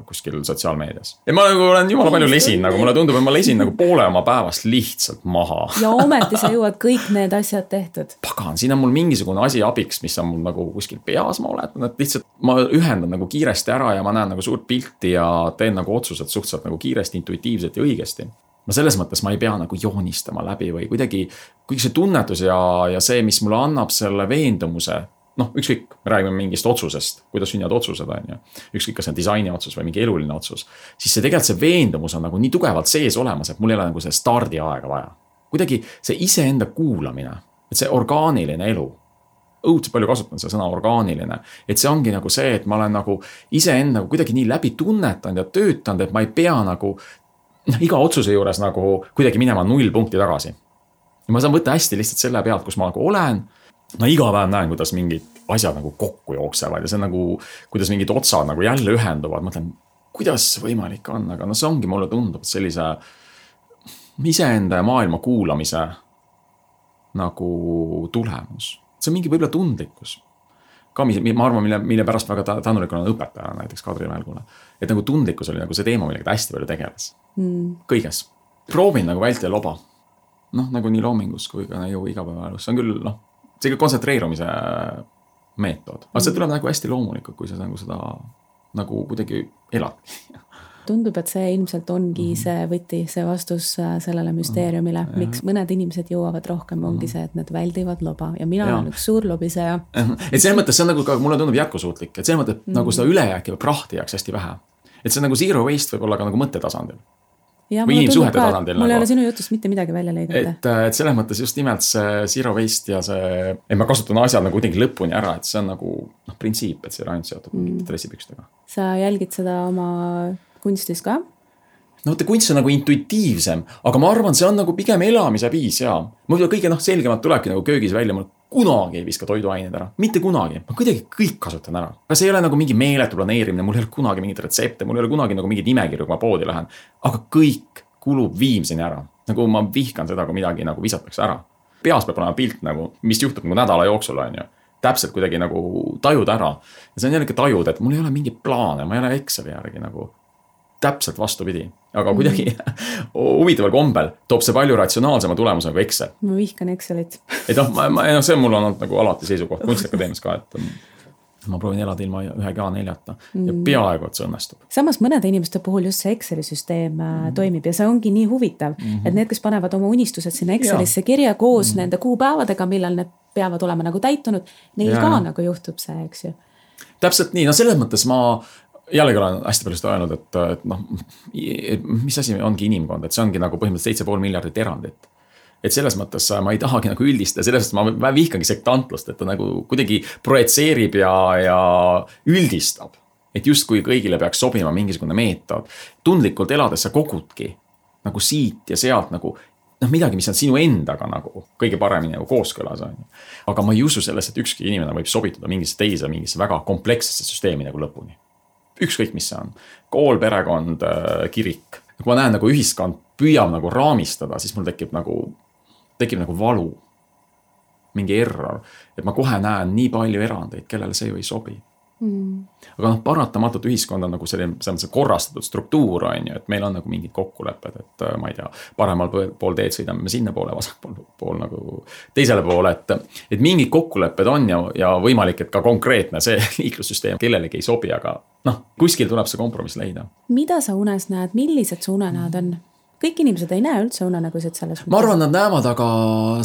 kuskil sotsiaalmeedias. Ja ma nagu olen jumala palju lesin, nagu mulle tundub, et ma lesin nagu poole oma päevast lihtsalt maha. Ja ometi sa jõuad kõik need asjad tehtud. Pagan, siin on mul mingisugune asi abiks, mis on mul nagu kuskil peas, ma oletan, et lihtsalt ma ühendan nagu kiiresti ära ja ma näen nagu suurt pilti ja teen nagu otsused suhteliselt nagu kiiresti, intuitiivselt ja õigesti. Ma selles mõttes ma ei pea nagu joonistama läbi või kuidagi, kõik see tunnetus ja, ja see, mis mulle annab selle veendumuse, noh, ükskõik, me räägime mingist otsusest, kuidas sünnivad otsused on ju, ükskõik, kas see on disaini otsus või mingi eluline otsus, siis see tegelikult see veendumus on nagu nii tugevalt sees olemas, et mul ei ole nagu see stardi aega vaja. Kuidagi see iseenda kuulamine, et see orgaaniline elu, õudselt palju kasutan see sõna orgaaniline, et see ongi nagu see, et ma olen nagu iseenda kuidagi nii läbi tunnetanud ja töötanud, et ma ei pea nagu noh, iga otsuse juures nagu kuidagi minema null punkti tagasi. Ja ma saan võtta hästi lihtsalt selle pealt, kus ma nagu olen. No iga päev näen, kuidas mingid asjad nagu kokku jooksevad ja see on nagu, kuidas mingid otsad nagu jälle ühenduvad. Mõtlen, kuidas see võimalik on, aga no see ongi mulle tundub, et sellise iseenda ja maailma kuulamise nagu tulemus. See on mingi võib-olla tundlikkus. Ka ma arvan, mille, mille pärast väga tänulikul on õpetaja näiteks Kadri Välgule. Et nagu tundlikkus oli nagu see teema, millega ta hästi palju tegeles. Mm. Kõiges. Proovin nagu vältida loba. Noh, nagu nii loomingus kui ka ju igapäevaelus. See on küll, noh, see kontsentreerumise meetod. Aga see tuleb nagu hästi loomulikult, kui sa nagu seda nagu kuidagi elad. Tundub, et see ilmselt ongi mm-hmm. see võti, see vastus sellele müsteeriumile. Mm-hmm. Miks mõned inimesed jõuavad rohkem, ongi see, et nad väldivad loba. Ja mina ja. olen üks suur lobiseja. Et see mõttes, see on nagu, mulle tundub jätkusuutlik. Et see mõttes, mm-hmm. nagu seda ülejääki või prahti jääks hästi vähe. Et see on nagu zero waste võib olla ka nagu mõttetasandil. Ja, või inimsuhete tasandil. Mul nagu. ei ole sinu jutust mitte midagi välja lõigata. Et, et selles mõttes just nimelt see zero waste ja see, et ma kasutan asjad nagu kuidagi lõpuni ära, et see on nagu noh, printsiip, et see on ainult seotud mm. dressipükstega. Sa jälgid seda oma kunstis ka? No võtte, kunst on nagu intuitiivsem, aga ma arvan, see on nagu pigem elamise viis ja muidu kõige noh, selgemalt tulebki nagu köögis välja, mul kunagi ei viska toiduained ära, mitte kunagi, ma kuidagi kõik kasutan ära. Aga see ei ole nagu mingi meeletu planeerimine, mul ei ole kunagi mingit retsepte, mul ei ole kunagi nagu mingid nimekirju, kui ma poodi lähen, aga kõik kulub viimseni ära. Nagu ma vihkan seda, kui midagi nagu visatakse ära. Peas peab olema pilt nagu, mis juhtub nagu nädala jooksul on ju. Täpselt kuidagi nagu tajud ära. Ja see on jällegi tajud, et mul ei ole mingi plaane, ma ei ole Exceli järgi nagu täpselt vastupidi, aga kuidagi huvitaval kombel toob see palju ratsionaalsema tulemuse nagu Excel. Ma vihkan Excelit. Et noh, ma, ma, no see mul on olnud nagu alati seisukoht Kunstiakadeemias ka, et ma proovin elada ilma ühegi A neljata ja peaaegu, et see õnnestub. Samas mõnede inimeste puhul just see Exceli süsteem mm. toimib ja see ongi nii huvitav, mm-hmm. et need, kes panevad oma unistused sinna Excelisse kirja koos mm. nende kuupäevadega, millal need peavad olema nagu täitunud, neil ja. ka nagu juhtub see, eks ju. Täpselt nii, no selles mõttes ma jällegi olen hästi palju seda öelnud, et, et noh, mis asi ongi inimkond, et see ongi nagu põhimõtteliselt seitse pool miljardit erandit. Et selles mõttes ma ei tahagi nagu üldistada, selles mõttes ma vihkangi sektantlust, et ta nagu kuidagi projitseerib ja, ja üldistab. Et just kui kõigile peaks sobima mingisugune meetod, tundlikult elades sa kogudki nagu siit ja sealt nagu noh, midagi, mis on sinu endaga nagu kõige paremini nagu kooskõlas. Aga ma ei usu selles, et ükski inimene võib sobituda mingisse teise, mingisse väga komplekssesse süsteemi nagu lõpuni. Ükskõik, mis see on. Kool, perekond, kirik. Kui ma näen nagu ühiskond püüab nagu raamistada, siis mul tekib nagu tekib nagu valu, mingi error, et ma kohe näen nii palju erandeid, kellele see ju ei sobi. Mm. Aga noh, paratamatult ühiskond on nagu selline, selline korrastatud struktuur, on ju, et meil on nagu mingid kokkulepped, et ma ei tea, paremal pool teed sõidame me sinna poole, vasak pool, pool nagu teisele poole, et, et mingid kokkulepped on ja, ja võimalik, et ka konkreetne see liiklussüsteem kellelegi ei sobi, aga noh, kuskil tuleb see kompromiss leida. Mida sa unes näed, millised su unenäod on? Kõik inimesed ei näe üldse unenägusid selles mõttes. Ma arvan, nad näevad, aga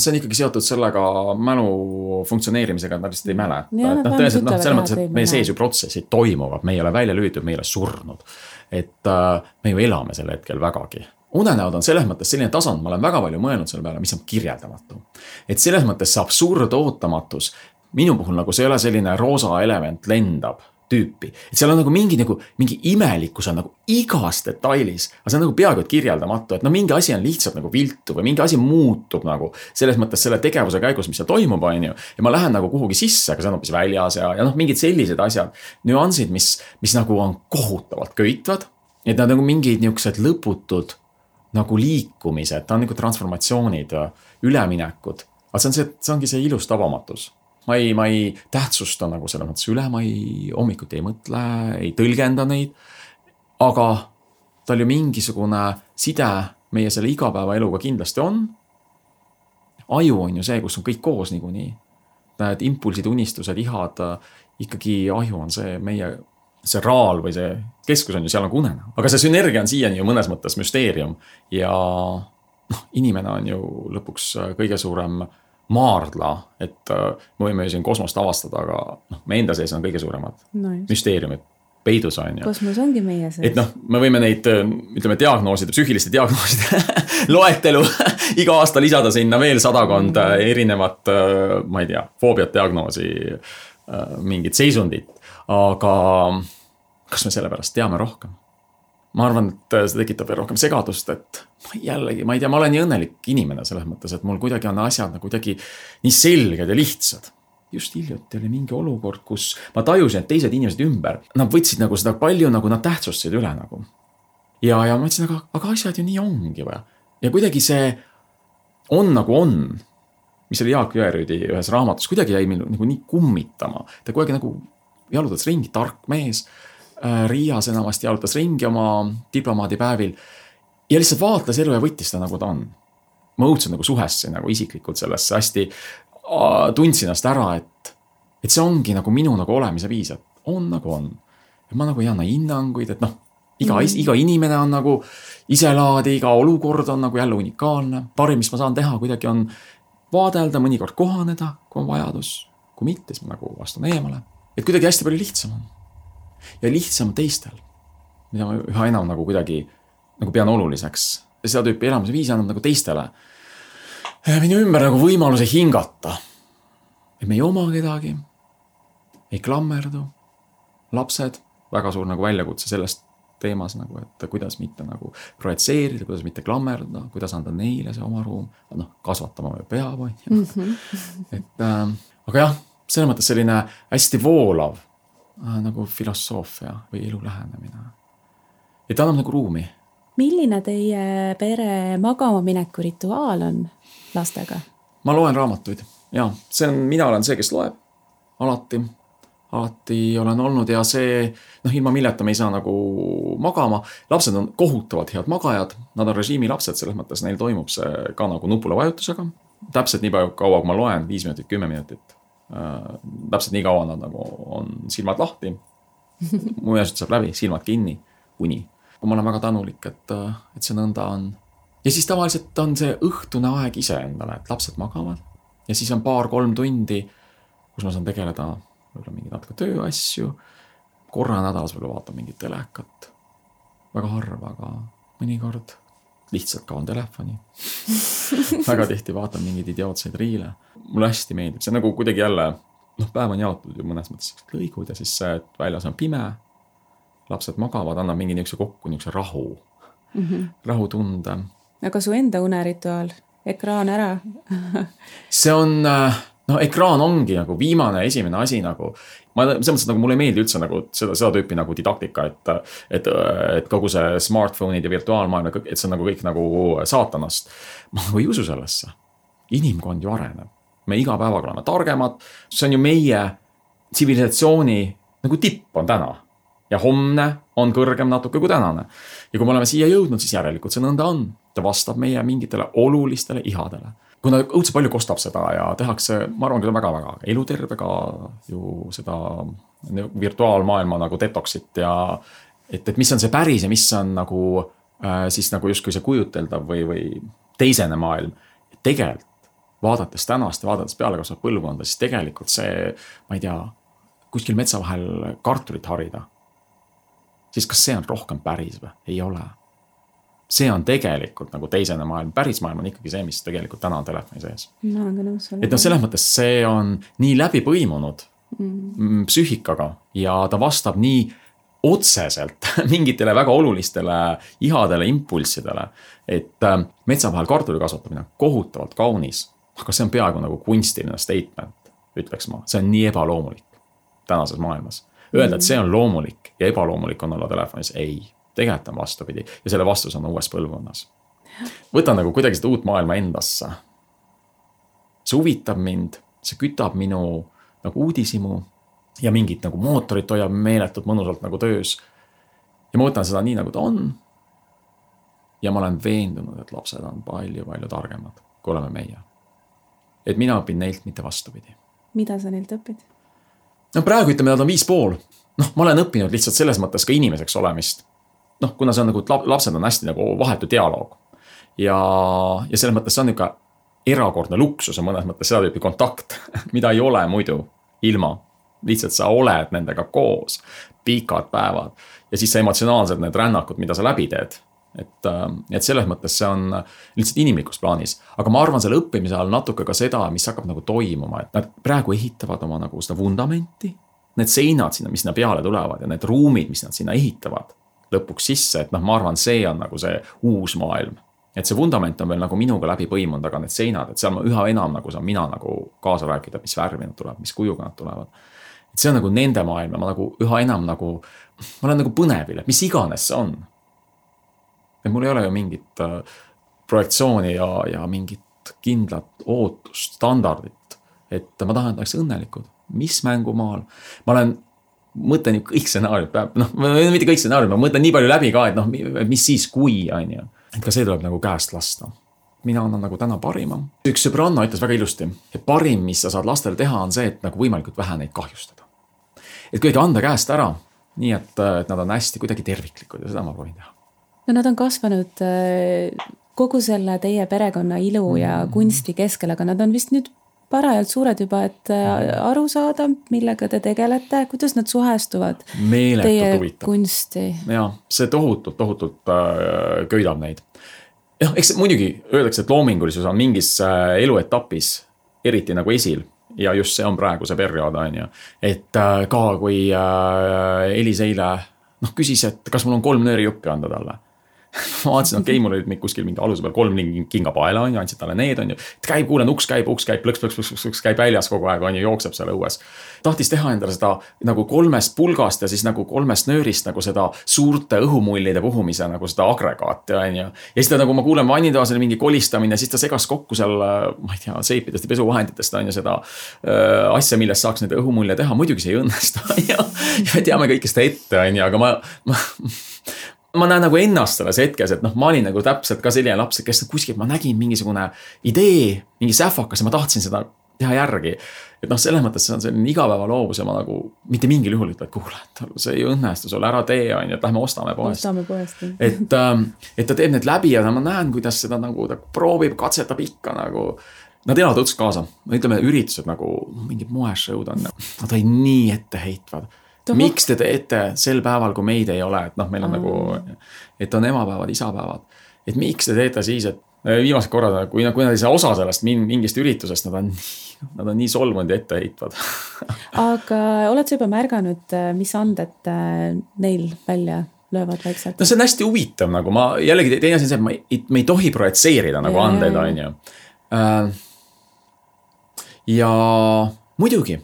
see on ikkagi seotud sellega mälu funktsioneerimisega, et nad lihtsalt ei mäleta. Ja, et noh, tõeselt, noh, selles mõttes, et meie sees ju protsessid toimuvad, me ei ole välja lüütud, me ei ole surnud. Et äh, me ju elame sel hetkel vägagi. Unenäod on selles mõttes selline tasand, ma olen väga palju mõelnud selle peale, mis on kirjeldamatu. Et selles mõttes see absurd ootamatus, minu puhul nagu see ei ole selline roosa element lendab tüüpi. Et seal on nagu mingi, nagu, mingi imelikkus on nagu igas detailis, aga see on nagu peaaegu et kirjeldamatu, et no mingi asi on lihtsalt nagu viltu või mingi asi muutub nagu selles mõttes selle tegevuse käigus, mis seal toimub, on ju, ja ma lähen nagu kuhugi sisse, aga see on hoopis väljas ja, ja noh, mingid sellised asjad, nüansid, mis, mis nagu on kohutavalt köitvad, et nad nagu mingid niuksed lõputud nagu liikumised, ta on nagu transformatsioonid, üleminekud, aga see on see, see ongi see ilus tabamatus. Ma ei, ma ei tähtsusta nagu selle mõttes üle, ma ei hommikuti ei mõtle, ei tõlgenda neid, aga tal ju mingisugune side meie selle igapäeva eluga kindlasti on. Aju on ju see, kus on kõik koos niikuinii. Need impulsid, unistused, ihad, ikkagi aju on see meie, see raal või see keskus on ju seal nagu unena. Aga see sünergia on siiani ju mõnes mõttes müsteerium ja noh, inimene on ju lõpuks kõige suurem maardla, et me võime ju siin kosmost avastada, aga noh, me enda sees on kõige suuremad no müsteeriumid, peidus on ju. Kosmos ongi meie sees. Et noh, me võime neid, ütleme, diagnooside, psüühiliste diagnooside loetelu iga aasta lisada sinna veel sadakond mm. erinevat, ma ei tea, foobiat diagnoosi, mingit seisundit, aga kas me selle pärast teame rohkem? Ma arvan, et see tekitab veel rohkem segadust, et jällegi, ma ei tea, ma olen nii õnnelik inimene selles mõttes, et mul kuidagi on asjad nagu kuidagi nii selged ja lihtsad. Just hiljuti oli mingi olukord, kus ma tajusin, et teised inimesed ümber, nad võtsid nagu seda palju, nagu nad tähtsustasid üle nagu. Ja, ja ma mõtlesin, aga, aga asjad ju nii ongi või. Ja kuidagi see on nagu on, mis oli Jaak Jõerüüdi ühes raamatus, kuidagi jäi meil nagu nii kummitama. Ta kuidagi nagu jalutas ringi, tark mees, Riias enamasti jalutas ringi oma diplomaadipäevil ja lihtsalt vaatles elu ja võttis seda nagu ta on. Ma õudselt nagu suhessin nagu isiklikult sellesse hästi tundsin ennast ära, et, et see ongi nagu minu nagu olemise viis, et on nagu on. Et ma nagu ei anna hinnanguid, et noh, iga, mm. iga inimene on nagu iselaadi, iga olukord on nagu jälle unikaalne. Parim, mis ma saan teha, kuidagi on vaadelda, mõnikord kohaneda, kui on vajadus. Kui mitte, siis ma nagu vastun eemale. Et kuidagi hästi palju lihtsam on. Ja lihtsam teistel, mida ma üha enam nagu kuidagi nagu pean oluliseks. Ja seda tüüpi elamise viis annab nagu teistele minu ümber nagu võimaluse hingata. Et me ei oma kedagi, ei klammerdu, lapsed, väga suur nagu väljakutse sellest teemas, nagu, et kuidas mitte nagu projitseerida, kuidas mitte klammerda, kuidas anda neile see oma ruum, noh, kasvatama või peab. Mm-hmm. Et, äh, aga jah, selles mõttes selline hästi voolav nagu filosoofia või elu lähenemine. Et ta annab nagu ruumi. Milline teie pere magama mineku rituaal on lastega? Ma loen raamatuid. Ja, see on, mina olen see, kes loeb. Alati. Alati olen olnud ja see, noh, ilma milleta me ei saa nagu magama. Lapsed on kohutavalt head magajad. Nad on režiimi lapsed, selles mõttes neil toimub see ka nagu nupula vajutusega. Täpselt nii palju kaua, kui ma loen, viis minutit, kümme minutit. täpselt nii kaua nad nagu on silmad lahti. Muiasjad saab läbi, silmad kinni, kuni. Ma olen väga tänulik, et, et see nõnda on. Ja siis tavaliselt on see õhtune aeg ise endale, et lapsed magavad. Ja siis on paar-kolm tundi, kus ma saan tegeleda võib-olla mingi natuke tööasju. Korra nädalas võib-olla vaatan mingit telekat. Väga harva, aga mõnikord lihtsalt kaon telefoni. Väga tihti vaatan mingeid idiootseid riile. Mulle hästi meeldib. See on nagu kuidagi jälle, noh, päev on jaotud ju mõnes mõttes lõigud ja siis see, et väljas on pime, lapsed magavad, annab mingi niisuguse kokku niisuguse rahu, mm-hmm. rahutunde. Aga su enda unerituaal? Ekraan ära? See on, no ekraan ongi nagu viimane esimene asi nagu, ma selles mõttes, nagu mulle ei meeldi üldse nagu seda, seda tüüpi nagu didaktika, et, et, et kogu see smartphone'id ja virtuaalmaailm, et see on nagu kõik nagu saatanast. Ma nagu ei usu sellesse. Inimkond ju areneb. Me iga päevaga oleme targemad. See on ju meie tsivilisatsiooni nagu tipp on täna. Ja homne on kõrgem natuke kui tänane. Ja kui me oleme siia jõudnud, siis järelikult see nõnda on. Ta vastab meie mingitele olulistele ihadele. Kuna õudse palju kostab seda ja tehakse, ma arvan, küll väga-väga elutervega ju seda virtuaalmaailma nagu detoxit ja et, et mis on see päris ja mis on nagu äh, siis nagu justkui see kujuteldav või, või teisene maailm. Tegelikult vaadates tänast ja vaadates peale kasvab põlvkonda, siis tegelikult see, ma ei tea, kuskil metsa vahel kartulit harida. Siis kas see on rohkem päris või? Ei ole. See on tegelikult nagu teisene maailm. Päris maailm on ikkagi see, mis tegelikult täna on telefoni sees. No, aga nõus ole. Et no selles mõttes see on nii läbi põimunud mm. psüühikaga ja ta vastab nii otseselt mingitele väga olulistele ihadele, impulssidele, et metsa vahel kartuli kasvatamine on kohutavalt kaunis, aga see on peaaegu nagu kunstiline statement, ütleks ma. See on nii ebaloomulik tänases maailmas. Öelda, et see on loomulik ja ebaloomulik on olla telefonis, ei. Tegelikult on vastupidi ja selle vastus on uues põlvkonnas. Võtan nagu kuidagi seda uut maailma endasse. See huvitab mind, see kütab minu nagu uudisimu ja mingit nagu mootorit hoiab meeletult mõnusalt nagu töös. Ja ma võtan seda nii nagu ta on. Ja ma olen veendunud, et lapsed on palju-palju targemad, kui oleme meie. Et mina õpin neilt mitte vastupidi. Mida sa neilt õpid? No praegu ütleme, nad on viis pool. Noh, ma olen õppinud lihtsalt selles mõttes ka inimeseks olemist. Noh, kuna see on nagu, lapsed on hästi nagu vahetu dialoog. Ja, ja selles mõttes see on niuka erakordne luksus ja mõnes mõttes seda tüüpi kontakt, mida ei ole muidu ilma. Lihtsalt sa oled nendega koos, pikad päevad ja siis see emotsionaalsed need rännakud, mida sa läbi teed. Et, et selles mõttes see on lihtsalt inimlikus plaanis. Aga ma arvan selle õppimise all natuke ka seda, mis hakkab nagu toimuma. Et nad praegu ehitavad oma nagu seda vundamenti, need seinad sinna, mis sinna peale tulevad ja need ruumid, mis nad sinna ehitavad lõpuks sisse, et noh, ma arvan, see on nagu see uus maailm. Et see vundament on veel nagu minuga läbi põimunud, aga need seinad, et seal ma üha enam nagu saan mina nagu kaasa rääkida, mis värvi nad tulevad, mis kujuga nad tulevad. Et see on nagu nende maailm ja ma nagu üha enam nagu, ma olen nagu põnevil, mis iganes see on. Et mul ei ole ju mingit äh, projektsiooni ja, ja mingit kindlat ootust, standardit, et ma tahan, et oleks õnnelikud. Mis mängumaal? Ma olen mõtlen ju kõik stsenaariumid peab, noh, mitte kõik stsenaariumid, ma mõtlen nii palju läbi ka, et noh, mis siis kui, on ju. Et ka see tuleb nagu käest lasta. Mina annan nagu täna parima. Üks sõbranna ütles väga ilusti, et parim, mis sa saad lastele teha, on see, et nagu võimalikult vähe neid kahjustada. Et kuidagi anda käest ära, nii et, et nad on hästi kuidagi terviklikud ja seda ma proovin teha. No nad on kasvanud kogu selle teie perekonna ilu ja kunsti keskel, aga nad on vist nüüd parajalt suured juba, et aru saada, millega te tegelete, kuidas nad suhestuvad Meeletult teie huvitav. Kunsti. Ja, see tohutult, tohutult äh, köidab neid. Ja, eks muidugi öeldakse, et loomingulisus on mingis äh, eluetapis eriti nagu esil ja just see on praegu see periood, on ju. Et äh, ka kui äh, Elis eile noh, küsis, et kas mul on kolm nööri juppi anda talle. Ma vaatasin, okei, okay, mul olid kuskil mingi aluse peal kolm kinga paela, on ju, andsid talle need, on ju. Et käib, kuulen, uks käib, uks käib, plõks, plõks, plõks, plõks, käib väljas kogu aeg, on ju, jookseb seal õues. Tahtis teha endale seda nagu kolmest pulgast ja siis nagu kolmest nöörist nagu seda suurte õhumullide puhumise nagu seda agregaati, on ju. Ja siis ta nagu ma kuulen vannitoas mingi kolistamine, siis ta segas kokku seal, ma ei tea, seipidest ja pesuvahenditest, on ju, seda äh, asja, millest saaks neid õhumulle teha. Muidugi see ei õnnestu, ja, ja teame kõike seda ette, on ju, aga ma... ma ma näen nagu ennast selles hetkes, et noh, ma olin nagu täpselt ka selline laps, kes kuskil ma nägin mingisugune idee, mingi sähvakas ja ma tahtsin seda teha järgi. Et noh, selles mõttes see on selline igapäeva loovus ja ma nagu mitte mingil juhul ütled, kuule, et see ei õnnestu sulle, ära tee, on ju, et lähme ostame poest. Ostame poest. et, et ta teeb need läbi ja ma näen, kuidas seda nagu ta proovib, katsetab ikka nagu. Nad elavad õudselt kaasa. Ütleme, üritused nagu mingid moeshow'd on. Nad olid nii etteheitvad. Toho. Miks te teete sel päeval, kui meid ei ole? Et noh, meil on Aa. nagu, et on emapäevad, isapäevad. Et miks te teete siis, et viimased korrad, kui, kui nad ei saa osa sellest mingist üritusest, nad on, nad on nii solvunud ja etteheitvad. Aga oled sa juba märganud, mis anded neil välja löövad vaikselt? No see on hästi huvitav, nagu ma jällegi teine asi on see, et ma ei, me ei tohi projitseerida nagu ja, andeid, on ju. Ja muidugi,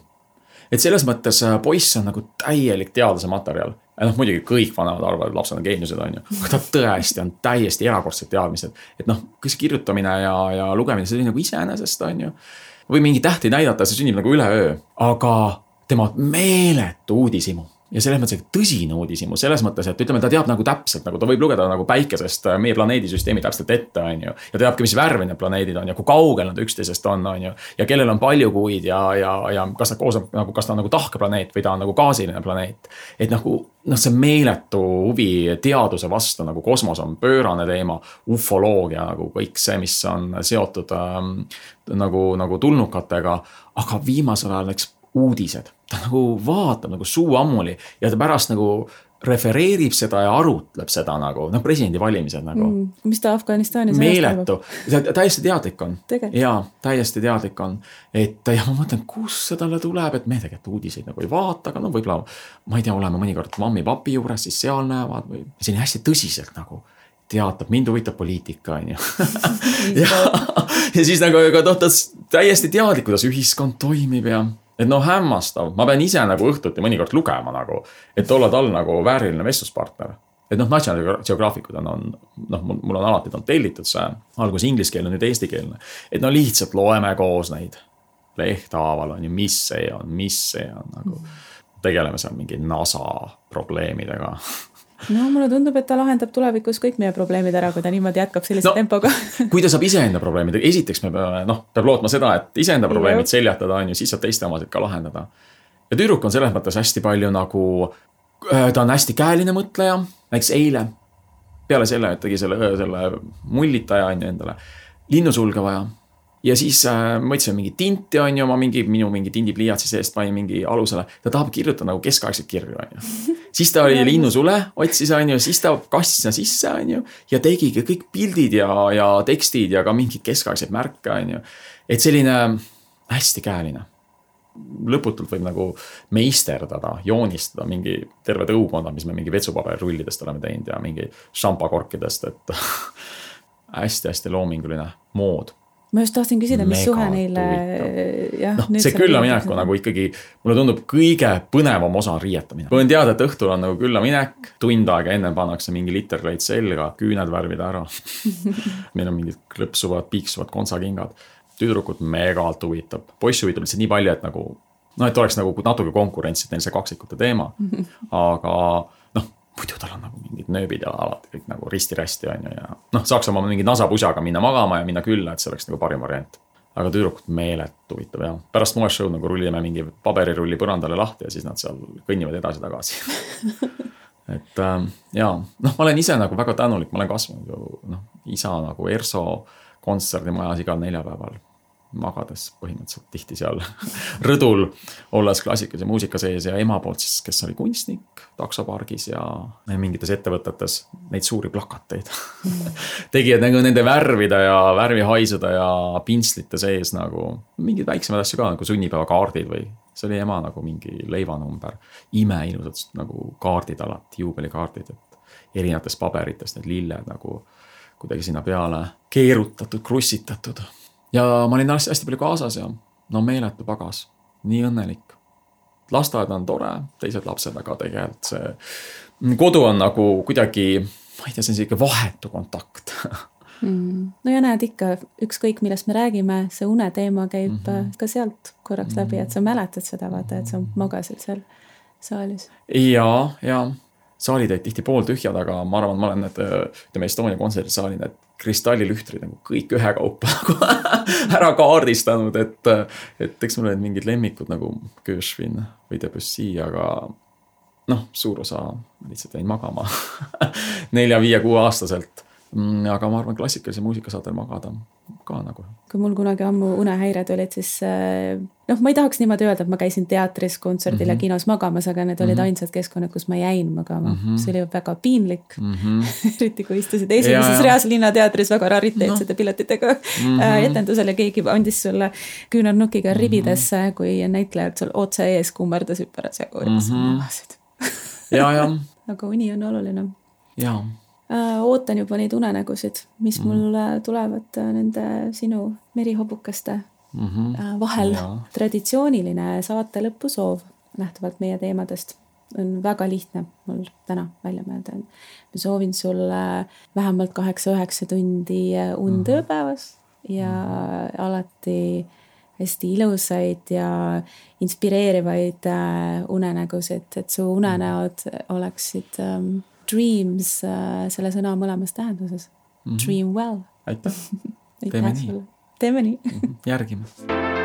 et selles mõttes poiss on nagu täielik teadlase materjal. Ja noh, muidugi kõik vanemad arvavad, et lapsed on geeniused, on ju. Aga ta tõesti on täiesti erakordsed teadmised. Et noh, kas kirjutamine ja, ja lugemine, see oli nagu iseenesest, on ju. Või mingi tähti näidata, see sünnib nagu üle öö. Aga tema meeletu uudisimu. Ja selles mõttes, et tõsine uudisimu, selles mõttes, et ütleme, ta teab nagu täpselt, nagu ta võib lugeda nagu päikesest meie planeedisüsteemi täpselt ette, on ju. Ja teabki, mis värvi need planeedid on ja kui kaugel nad üksteisest on, on ju. Ja kellel on palju kuid ja, ja, ja kas, koos on, nagu, kas ta on nagu tahkeplaneet või ta on nagu gaasiline planeet. Et nagu, noh, see meeletu huvi teaduse vastu, nagu kosmos on pöörane teema, ufoloogia, nagu kõik see, mis on seotud ähm, nagu, nagu tulnukatega, aga viimasel ajal näiteks uudised. Ta nagu vaatab nagu suu ammuli ja ta pärast nagu refereerib seda ja arutleb seda nagu, noh, presidendi valimised nagu. Mm, mis ta Afganistanis meeletu. Ta täiesti teadlik on. Tegelt. Jaa, täiesti teadlik on. Et ja ma mõtlen, kus see talle tuleb, et me tegelikult uudiseid nagu ei vaata, aga no võib-olla, ma ei tea, oleme mõnikord mammi papi juures, siis seal näevad või selline hästi tõsiselt nagu teatab, mind huvitab poliitika, on ju. ja, ja siis nagu, aga noh, ta täiesti teadlik, kuidas ühiskond toimib ja et noh, hämmastav, ma pean ise nagu õhtuti mõnikord lugema nagu, et olla tal nagu vääriline vestluspartner. Et noh, National Geographikud on, on noh, mul on alati on tellitud see, algus ingliskeelne, nüüd eestikeelne. Et no lihtsalt loeme koos neid lehthaaval on ju, mis see on, mis see on nagu, tegeleme seal mingi NASA probleemidega. No mulle tundub, et ta lahendab tulevikus kõik meie probleemid ära, kui ta niimoodi jätkab sellise no, tempoga. Kui ta saab iseenda probleemid, esiteks me peame, noh, peab lootma seda, et iseenda probleemid seljatada on ju, siis saab teiste omasid ka lahendada. Ja tüdruk on selles mõttes hästi palju nagu, ta on hästi käeline mõtleja, näiteks eile, peale selle, et tegi selle, selle mullitaja on ju endale, linnusulge vaja. Ja siis äh, mõtlesin mingi tinti on ju, oma mingi, minu mingi tindipliiatsi seest panin mingi alusele. Ta tahab kirjutada nagu keskaegselt kirju on ju. Siis ta oli linnusule, otsis on ju, siis ta kastis sisse on ju. Ja tegigi kõik pildid ja, ja tekstid ja ka mingid keskaegseid märke on ju. Et selline hästi käeline. Lõputult võib nagu meisterdada, joonistada mingi terve tõukonda, mis me mingi vetsupaberirullidest oleme teinud ja mingi šampakorkidest. Et hästi-hästi loominguline mood. Ma just tahtsin küsida, mis Mega suhe neile... Jah, no, see külla minek on nagu ikkagi, mulle tundub kõige põnevam osa on riietamine. Võin teada, et õhtul on nagu külla minek, tund aega enne pannakse mingi literkleit selga, küüned värvida ära. Meil on mingid klõpsuvad, piiksuvad kontsakingad. Tüdrukud megalt huvitab. Poissi huvitab lihtsalt nii palju, et nagu, no et oleks nagu natuke konkurents, et neil see kaksikute teema. Aga noh, muidu tal on nagu mingid nööbid ja alati kõik nagu risti-rästi on ju ja noh, saaks oma mingi nasapusaga minna magama ja minna külla, et see oleks nagu parim variant. Aga tüdrukud meelet huvitab ja pärast moe show nagu rullime mingi paberirulli põrandale lahti ja siis nad seal kõnnivad edasi tagasi. et äh, jaa, noh, ma olen ise nagu väga tänulik, ma olen kasvanud ju noh, isa nagu Erso kontserdimajas igal neljapäeval magades põhimõtteliselt tihti seal rõdul olles klassikalise muusika sees ja ema poolt siis, kes oli kunstnik taksopargis ja mingites ettevõtetes neid suuri plakateid tegid nagu nende värvida ja värvihaisuda ja pintslite sees nagu mingid väiksemad asju ka nagu sunnipäevakaardid või see oli ema nagu mingi leivanumber imeilusad nagu kaardid alati, juubelikaardid, et erinevatest paberitest need lilled nagu kuidagi sinna peale keerutatud, krussitatud. Ja ma olin hästi palju kaasas ja no meeletu pagas, nii õnnelik. Lasteaed on tore, teised lapsed, aga tegelikult see kodu on nagu kuidagi, ma ei tea, see on siuke vahetu kontakt. mm. No ja näed ikka, ükskõik millest me räägime, see une teema käib mm-hmm. ka sealt korraks mm-hmm. läbi, et sa mäletad seda vaata, et sa magasid seal saalis. Ja, ja saalid olid tihti pooltühjad, aga ma arvan, ma olen need, ütleme Estonia kontserdisaalid, et kristallilühtrid nagu kõik ühe kaupa nagu ära kaardistanud, et, et eks mul olid mingid lemmikud nagu Gershwin või Debussy, aga noh, suur osa lihtsalt jäin magama nelja, viie, kuue aastaselt. Aga ma arvan, klassikalise muusika saad veel magada ka nagu. Kui mul kunagi ammu unehäired olid, siis noh, ma ei tahaks niimoodi öelda, et ma käisin teatris, kontserdil mm -hmm. ja kinos magamas, aga need olid mm -hmm. ainsad keskkonnad, kus ma jäin magama. Mm -hmm. See oli väga piinlik. Mm -hmm. Eriti kui istusid esimeses reas linnateatris väga rariteetsete no. piletitega mm -hmm. etendusel ja keegi andis sulle küünarnukiga ribidesse, mm -hmm. kui näitlejad sul otse ees kummerdas hüpperas ja koorimas mm -hmm. magasid. ja, ja. Aga uni on oluline. Jaa. Ootan juba neid unenägusid, mis mm. mul tulevad nende sinu merihobukaste mm -hmm. vahel. Ja. Traditsiooniline saate lõpusoov nähtuvalt meie teemadest on väga lihtne mul täna välja mõelda. Ma soovin sulle vähemalt kaheksa-üheksa tundi und ööpäevas ja mm. alati hästi ilusaid ja inspireerivaid unenägusid, et su unenäod oleksid um, dreams selle sõna mõlemas tähenduses. Mm -hmm. Dream well. Aitäh. Teeme nii. Teeme nii. Järgime.